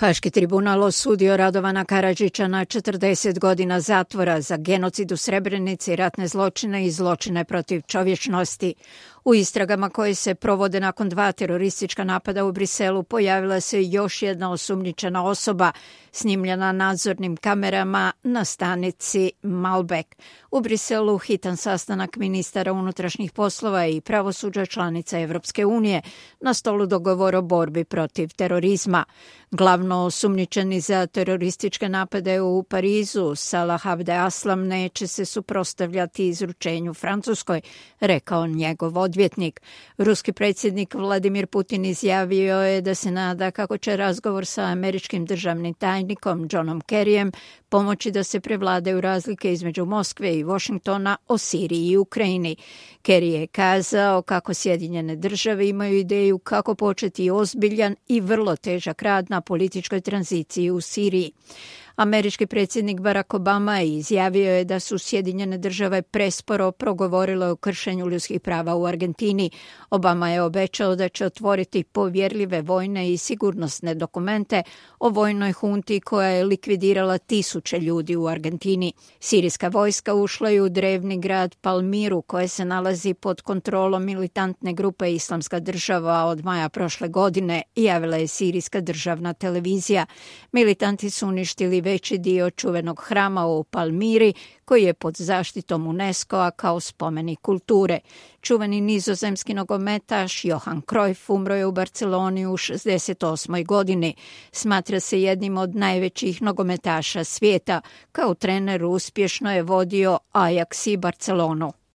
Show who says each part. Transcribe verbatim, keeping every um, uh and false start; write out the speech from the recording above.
Speaker 1: Haški tribunal osudio Radovana Karadžića na četrdeset godina zatvora za genocid u Srebrenici, ratne zločine i zločine protiv čovječnosti. U istragama koje se provode nakon dva teroristička napada u Briselu pojavila se još jedna osumnjičena osoba, snimljena nadzornim kamerama na stanici Malbec. U Briselu hitan sastanak ministara unutrašnjih poslova i pravosuđa članica Evropske unije, na stolu dogovor o borbi protiv terorizma. Glavno osumnjičeni za terorističke napade u Parizu, Salah Abdeslam, neće se suprotstavljati izručenju Francuskoj, rekao njegov odvjetnik. Ruski predsjednik Vladimir Putin izjavio je da se nada kako će razgovor sa američkim državnim tajnikom Johnom Kerryjem pomoći da se prevladaju razlike između Moskve i Washingtona o Siriji i Ukrajini. Kerry je kazao kako Sjedinjene države imaju ideju kako početi ozbiljan i vrlo težak rad na političkoj tranziciji u Siriji. Američki predsjednik Barack Obama izjavio je da su Sjedinjene države presporo progovorile o kršenju ljudskih prava u Argentini. Obama je obećao da će otvoriti povjerljive vojne i sigurnosne dokumente o vojnoj hunti koja je likvidirala tisuće ljudi u Argentini. Sirijska vojska ušla je u drevni grad Palmiru, koje se nalazi pod kontrolom militantne grupe Islamska država od maja prošle godine, javila je sirijska državna televizija. Militanti su uništili veći dio čuvenog hrama u Palmiri, koji je pod zaštitom UNESCO-a kao spomenik kulture. Čuveni nizozemski nogometaš Johan Cruyff umro je u Barceloni u šezdeset osmoj godini. Smatra se jednim od najvećih nogometaša svijeta. Kao trener uspješno je vodio Ajax i Barcelonu.